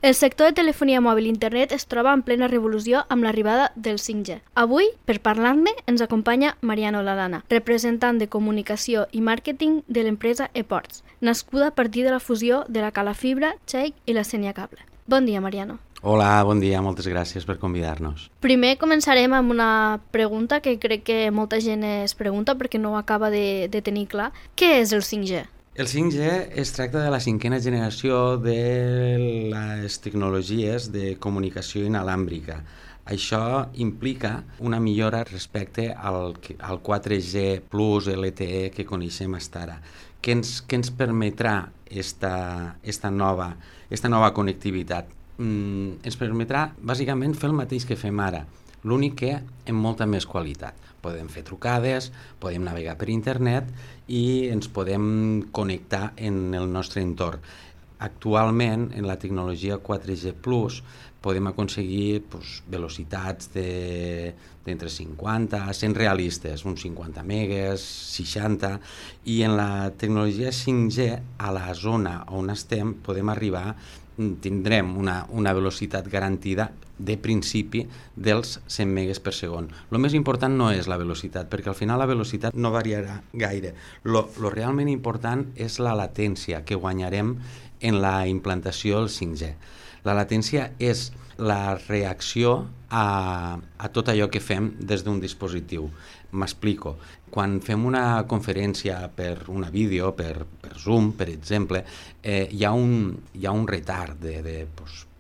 El sector de telefonia mòbil i internet es troba en plena revolució amb l'arribada del 5G. Avui, per parlar-ne, ens acompanya Mariano Ladana, representant de comunicació i màrqueting de l'empresa ePorts, nascuda a partir de la fusió de la Cala Fibra, Cheik i la Senia Cable. Bon dia, Mariano. Hola, bon dia, moltes gràcies per convidar-nos. Primer començarem amb una pregunta que crec que molta gent es pregunta perquè no ho acaba de tenir clar. Què és el 5G? El 5G es tracta de la cinquena generació de les tecnologies de comunicació inalàmbrica. Això implica una millora respecte al 4G plus LTE que coneixem fins ara. Què ens permetrà esta nova connectivitat? Ens permetrà bàsicament fer el mateix que fem ara, l'únic que amb molta més qualitat. Podem fer trucades, podem navegar per internet i ens podem connectar en el nostre entorn. Actualment, en la tecnologia 4G+, podem aconseguir velocitats d'entre 50 a 100 realistes, uns 50 megas, 60, i en la tecnologia 5G, a la zona on estem, tindrem una velocitat garantida de principi dels 100 megas per segon. El més important no és la velocitat, perquè al final la velocitat no variarà gaire. Lo realment important és la latència que guanyarem en la implantació del 5G. La latència és la reacció a tot allò que fem des d'un dispositiu. M'explico. Quan fem una conferència per una vídeo, per Zoom, per exemple, hi ha un retard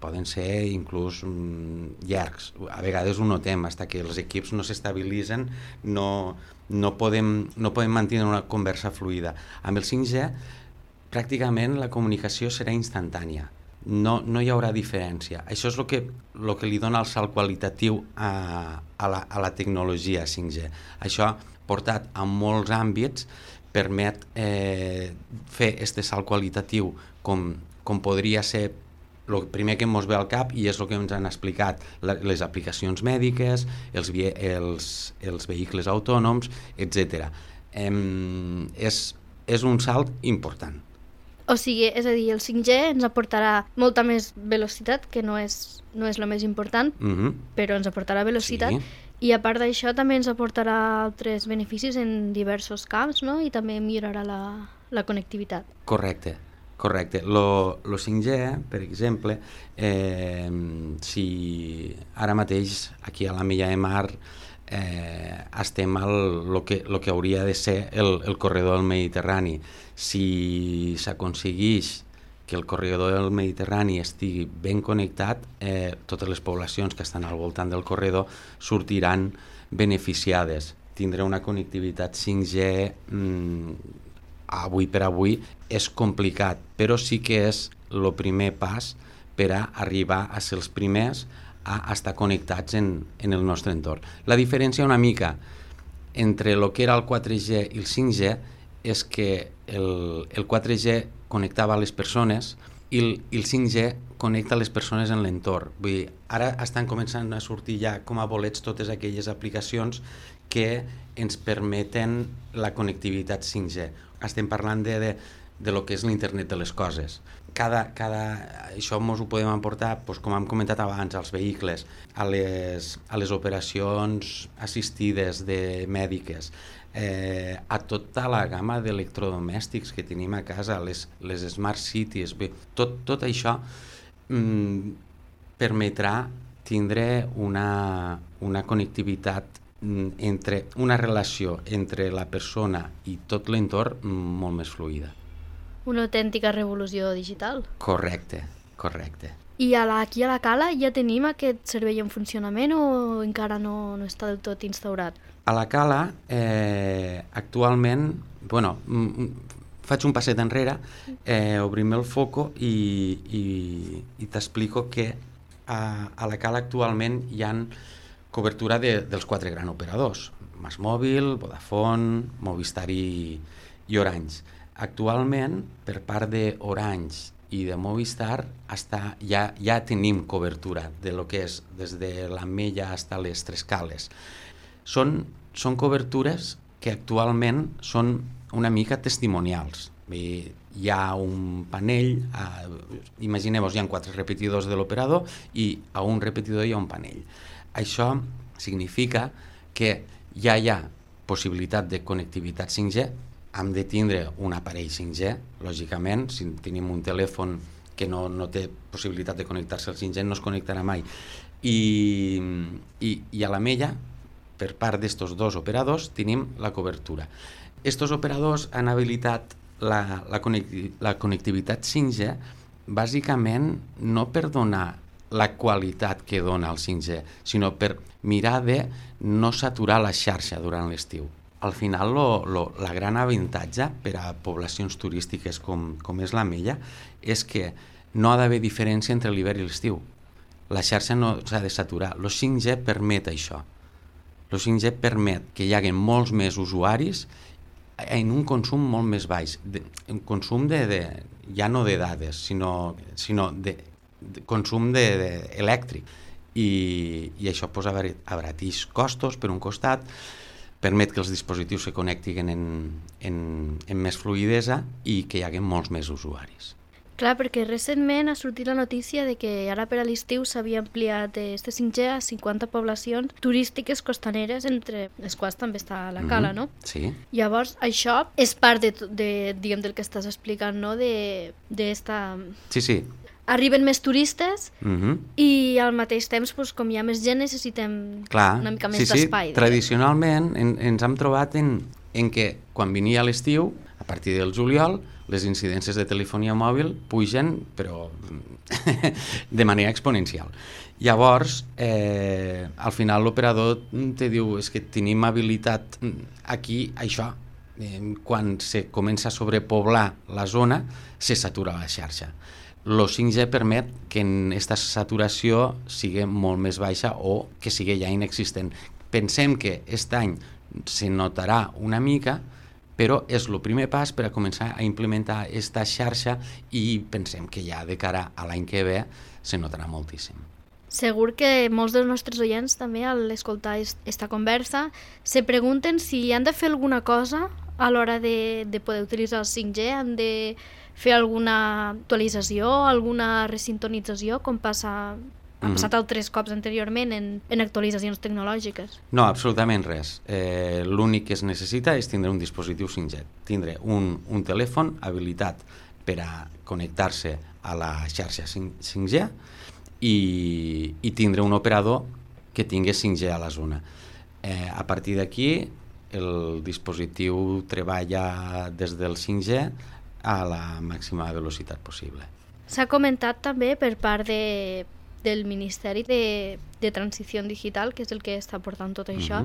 poden ser inclús llargs. A vegades ho notem, fins que els equips no s'estabilitzen, no podem mantenir una conversa fluida. Amb el 5G, pràcticament la comunicació serà instantània. No hi haurà diferència. Això és el que li dona el salt qualitatiu a la tecnologia 5G. Això, portat a molts àmbits, permet fer aquest salt qualitatiu com podria ser el primer que ens ve al cap, i és el que ens han explicat les aplicacions mèdiques, els vehicles autònoms, etc. És un salt important. O sigui, és a dir, el 5G ens aportarà molta més velocitat, que no és el més important, però ens aportarà velocitat, sí. I a part d'això també ens aportarà altres beneficis en diversos camps, no? I també millorarà la connectivitat. Correcte. Lo 5G, per exemple, si ara mateix aquí a la Milla de Mar estem al que hauria de ser el corredor del Mediterrani. Si s'aconsegueix que el corredor del Mediterrani estigui ben connectat, totes les poblacions que estan al voltant del corredor sortiran beneficiades. Tindrà una connectivitat 5G avui per avui és complicat, però sí que és el primer pas per a arribar a ser els primers a estar connectats en el nostre entorn. La diferència una mica entre el que era el 4G i el 5G és que el 4G connectava les persones i el 5G connecta les persones en l'entorn. Vull dir, ara estan començant a sortir ja com a bolets totes aquelles aplicacions que ens permeten la connectivitat 5G. Estem parlant de lo que és l'internet de les coses. Això ens ho podem emportar, com hem comentat abans, als vehicles, a les operacions assistides mèdiques, a tota la gamma d'electrodomèstics que tenim a casa, les smart cities. Tot això permetrà tindre una connectivitat, una relació entre la persona i tot l'entorn molt més fluida. Una autèntica revolució digital. Correcte. I aquí a la Cala ja tenim aquest servei en funcionament o encara no està del tot instaurat? A la Cala, actualment, faig un passet enrere, obrim el foco i t'explico que a la Cala actualment hi ha cobertura dels 4 grans operadors, MásMóvil, Vodafone, Movistar i Orange. Actualment, per part d'Orange i de Movistar, ja tenim cobertura de lo que és des de l'Ametlla fins a les Tres Cales. Són cobertures que actualment són una mica testimonials. Hi ha un panell, imagineu-vos, hi ha 4 repetidors de l'operador i a un repetidor hi ha un panell. Això significa que ja hi ha possibilitat de connectivitat 5G, hem de tindre un aparell 5G, lògicament, si tenim un telèfon que no té possibilitat de connectar-se al 5G no es connectarà mai. I a la mella, per part d'estos dos operadors, tenim la cobertura. Estos operadors han habilitat la connectivitat 5G bàsicament no per donar la qualitat que dona el 5G, sinó per mirar de no saturar la xarxa durant l'estiu. Al final, la gran avantatge per a poblacions turístiques com és la Mella és que no ha d'haver diferència entre l'hivern i l'estiu. La xarxa no s'ha de saturar. El 5G permet això. El 5G permet que hi hagi molts més usuaris en un consum molt més baix. Un consum ja no de dades, sinó de consum elèctric. I això abarateix costos per un costat, permet que els dispositius se connectin en més fluïdesa i que hi hagi molts més usuaris. Clar, perquè recentment ha sortit la notícia de que ara per a l'estiu s'havia ampliat este 5G a 50 poblacions turístiques costaneres, entre les quals també està la Cala, no? Sí. Llavors, això és part diguem, del que estàs explicant, no? Sí. Arriben més turistes i al mateix temps, com hi ha més gent, necessitem una mica més d'espai. Tradicionalment ens hem trobat en què quan venia l'estiu, a partir del juliol, les incidències de telefonia mòbil pugen, però de manera exponencial. Llavors, al final l'operador te diu és que tenim habilitat aquí, això. Quan se comença a sobrepoblar la zona, se satura la xarxa. El 5G permet que aquesta saturació sigui molt més baixa o que sigui ja inexistent. Pensem que aquest any se notarà una mica, però és el primer pas per a començar a implementar aquesta xarxa i pensem que ja de cara a l'any que ve se notarà moltíssim. Segur que molts dels nostres oients també al escoltar esta conversa se pregunten si han de fer alguna cosa a l'hora de poder utilitzar el 5G, han de fer alguna actualització, alguna resintonització, com ha passat altres cops anteriorment en actualitzacions tecnològiques. No, absolutament res. L'únic que es necessita és tindre un dispositiu 5G, tindre un telèfon habilitat per a connectar-se a la xarxa 5G i tindre un operador que tingui 5G a la zona. A partir d'aquí, el dispositiu treballa des del 5G a la màxima velocitat possible. S'ha comentat també per part del Ministeri de Transició Digital, que és el que està portant tot això,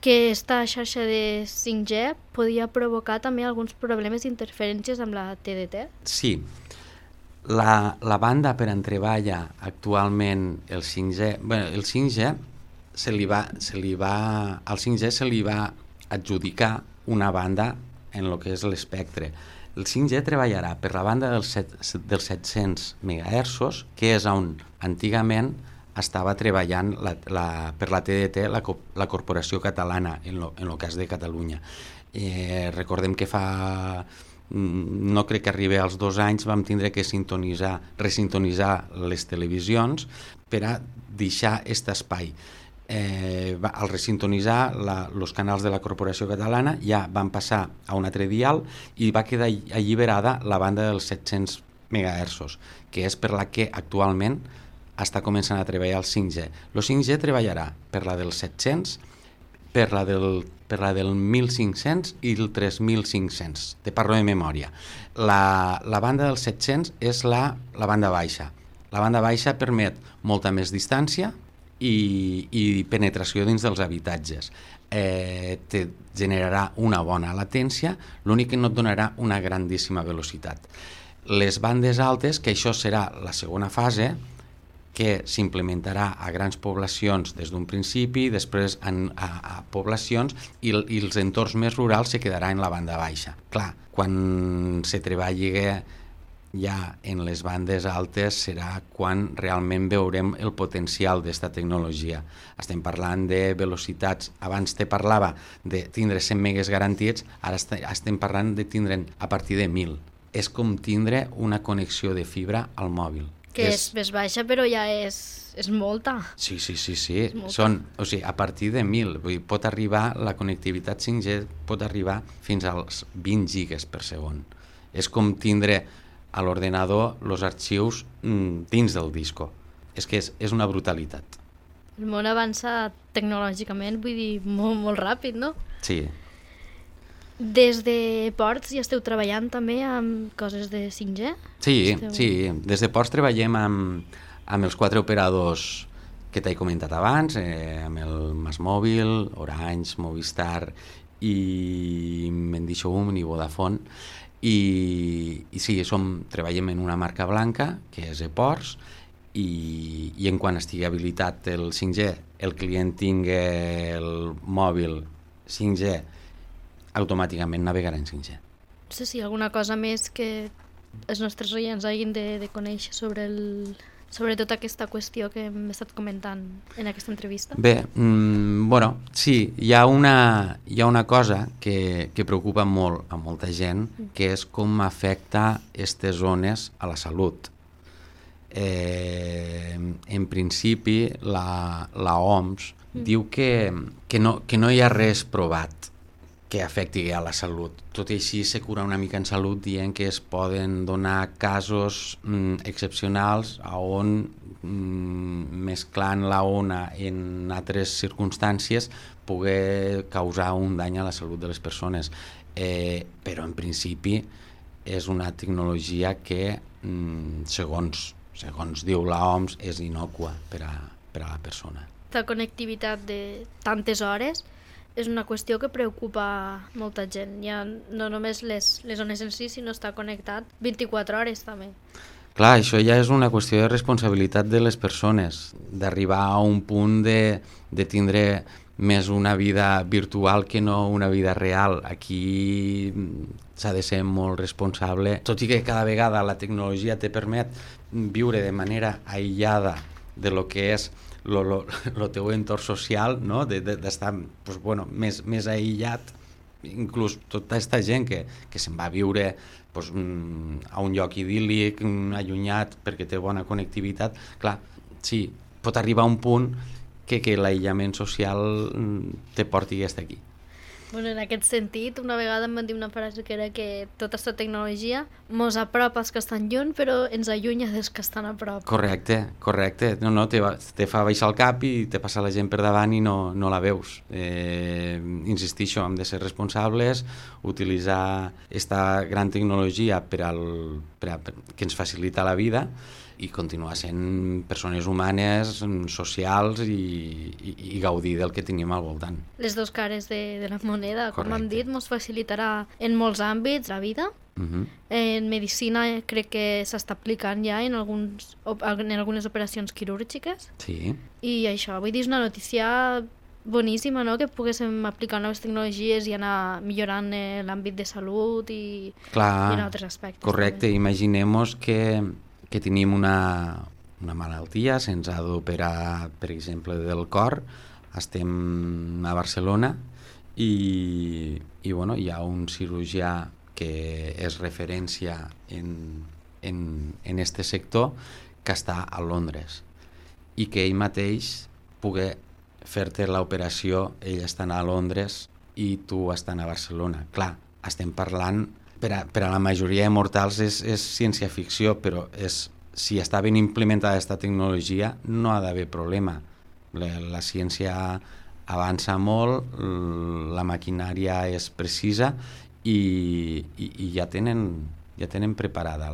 que aquesta xarxa de 5G podia provocar també alguns problemes d'interferències amb la TDT? Sí. La banda per on treballa actualment el 5G... el 5G se li va adjudicar una banda en el que és l'espectre. El 5G treballarà per la banda dels 700 MHz, que és on antigament estava treballant per la TDT la Corporació Catalana, en el cas de Catalunya. Recordem que no crec que arribi als 2 anys, vam tindre que resintonitzar les televisions per a deixar aquest espai. Al resintonitzar els canals de la Corporació Catalana ja van passar a un altre dial i va quedar alliberada la banda dels 700 MHz, que és per la que actualment està començant a treballar el 5G. El 5G treballarà per la dels 700, per la del 1500 i el 3500, te parlo de memòria. La banda dels 700 és la banda baixa. La banda baixa permet molta més distància i penetració dins dels habitatges. Te generarà una bona latència, l'únic que no et donarà una grandíssima velocitat. Les bandes altes, que això serà la segona fase, que s'implementarà a grans poblacions des d'un principi, després a poblacions i els entorns més rurals se quedarà en la banda baixa. Clar, quan se treballi ja en les bandes altes serà quan realment veurem el potencial d'esta tecnologia. Estem parlant de velocitats, abans te parlava de tindre 100 megas garantits, ara estem parlant de tindre'n a partir de 1.000. És com tindre una connexió de fibra al mòbil. Que és més baixa, però ja és molta. Sí. Són, o sigui, a partir de 1.000. Vull dir, pot arribar, la connectivitat 5G pot arribar fins als 20 gigas per segon. És com tindre a l'ordenador els arxius dins del disco. És que és una brutalitat. El món avança tecnològicament, vull dir, molt, molt ràpid, no? Sí. Des de Ports ja esteu treballant també amb coses de 5G? Sí. Des de Ports treballem amb els 4 operadors que t'he comentat abans, amb el MásMóvil, Orange, Movistar i Mendixoum i Vodafone. I sí, treballem en una marca blanca, que és ePorts, i en quan estigui habilitat el 5G, el client tingui el mòbil 5G, automàticament navegarà en 5G. No sé si alguna cosa més que els nostres oients hagin de conèixer sobre tota aquesta qüestió que hem estat comentant en aquesta entrevista. Bé, sí, hi ha una cosa que preocupa molt a molta gent, que és com afecta aquestes zones a la salut. En principi, la OMS diu que no hi ha res provat que afecti a la salut. Tot i així se cura una mica en salut dient que es poden donar casos excepcionals on mesclant la ona en altres circumstàncies pugui causar un dany a la salut de les persones. Però en principi és una tecnologia que, segons diu l'OMS, és innòcua per a la persona. La connectivitat de tantes hores és una qüestió que preocupa molta gent. Ja no només les zones en si, sinó estar connectat 24 hores també. Clar, això ja és una qüestió de responsabilitat de les persones, d'arribar a un punt de tindre més una vida virtual que no una vida real. Aquí s'ha de ser molt responsable, tot i que cada vegada la tecnologia te permet viure de manera aïllada de lo que és el teu entorn social, no? D'estar més aïllat, inclús tota aquesta gent que se'n va a viure a un lloc idíl·lic, allunyat, perquè té bona connectivitat. Clar, sí, pot arribar a un punt que l'aïllament social te porti fins aquí. Bueno, en aquest sentit, una vegada em van dir una frase que era que tota aquesta tecnologia mos apropa als que estan lluny, però ens allunya dels que estan a prop. Correcte. No, te fa baixar el cap i te passa la gent per davant i no la veus. Insistixo, hem de ser responsables, utilitzar aquesta gran tecnologia que ens facilita la vida i continuar sent persones humanes, socials i gaudir del que tenim al voltant. Les dues cares de la moneda, com hem dit, ens facilitarà en molts àmbits la vida. En medicina crec que s'està aplicant ja en algunes operacions quirúrgiques. Sí. I això, vull dir, és una notícia boníssima, no?, que poguéssim aplicar noves tecnologies i anar millorant l'àmbit de salut i en altres aspectes. Correcte, imaginem-nos que tenim una malaltia, se'ns ha d'operar, per exemple, del cor, estem a Barcelona i hi ha un cirurgià que és referència en este sector que està a Londres i que ell mateix pugui fer-te l'operació, ell estant a Londres i tu estant a Barcelona. Clar, estem parlant... Per a la majoria de mortals és ciència-ficció, però si està ben implementada aquesta tecnologia no ha d'haver problema. La ciència avança molt, la maquinària és precisa i ja tenen preparada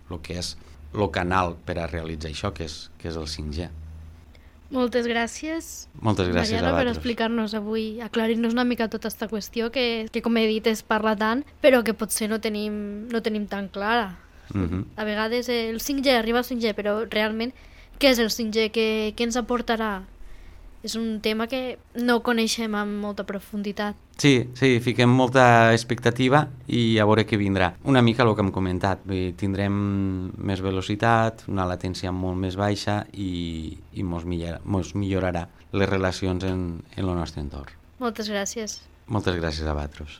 el que és el canal per a realitzar això, que és el 5G. Moltes gràcies, Mariano, per explicar-nos avui, aclarir-nos una mica tota aquesta qüestió que com he dit, es parla tant, però que potser no tenim tan clara. A vegades el 5G, arriba al 5G, però realment què és el 5G? Què ens aportarà? és un tema que no coneixem amb molta profunditat. Sí, fiquem molta expectativa i a veure què vindrà. Una mica el que hem comentat, tindrem més velocitat, una latència molt més baixa i mos millorarà les relacions en el nostre entorn. Moltes gràcies. Moltes gràcies a vosaltres.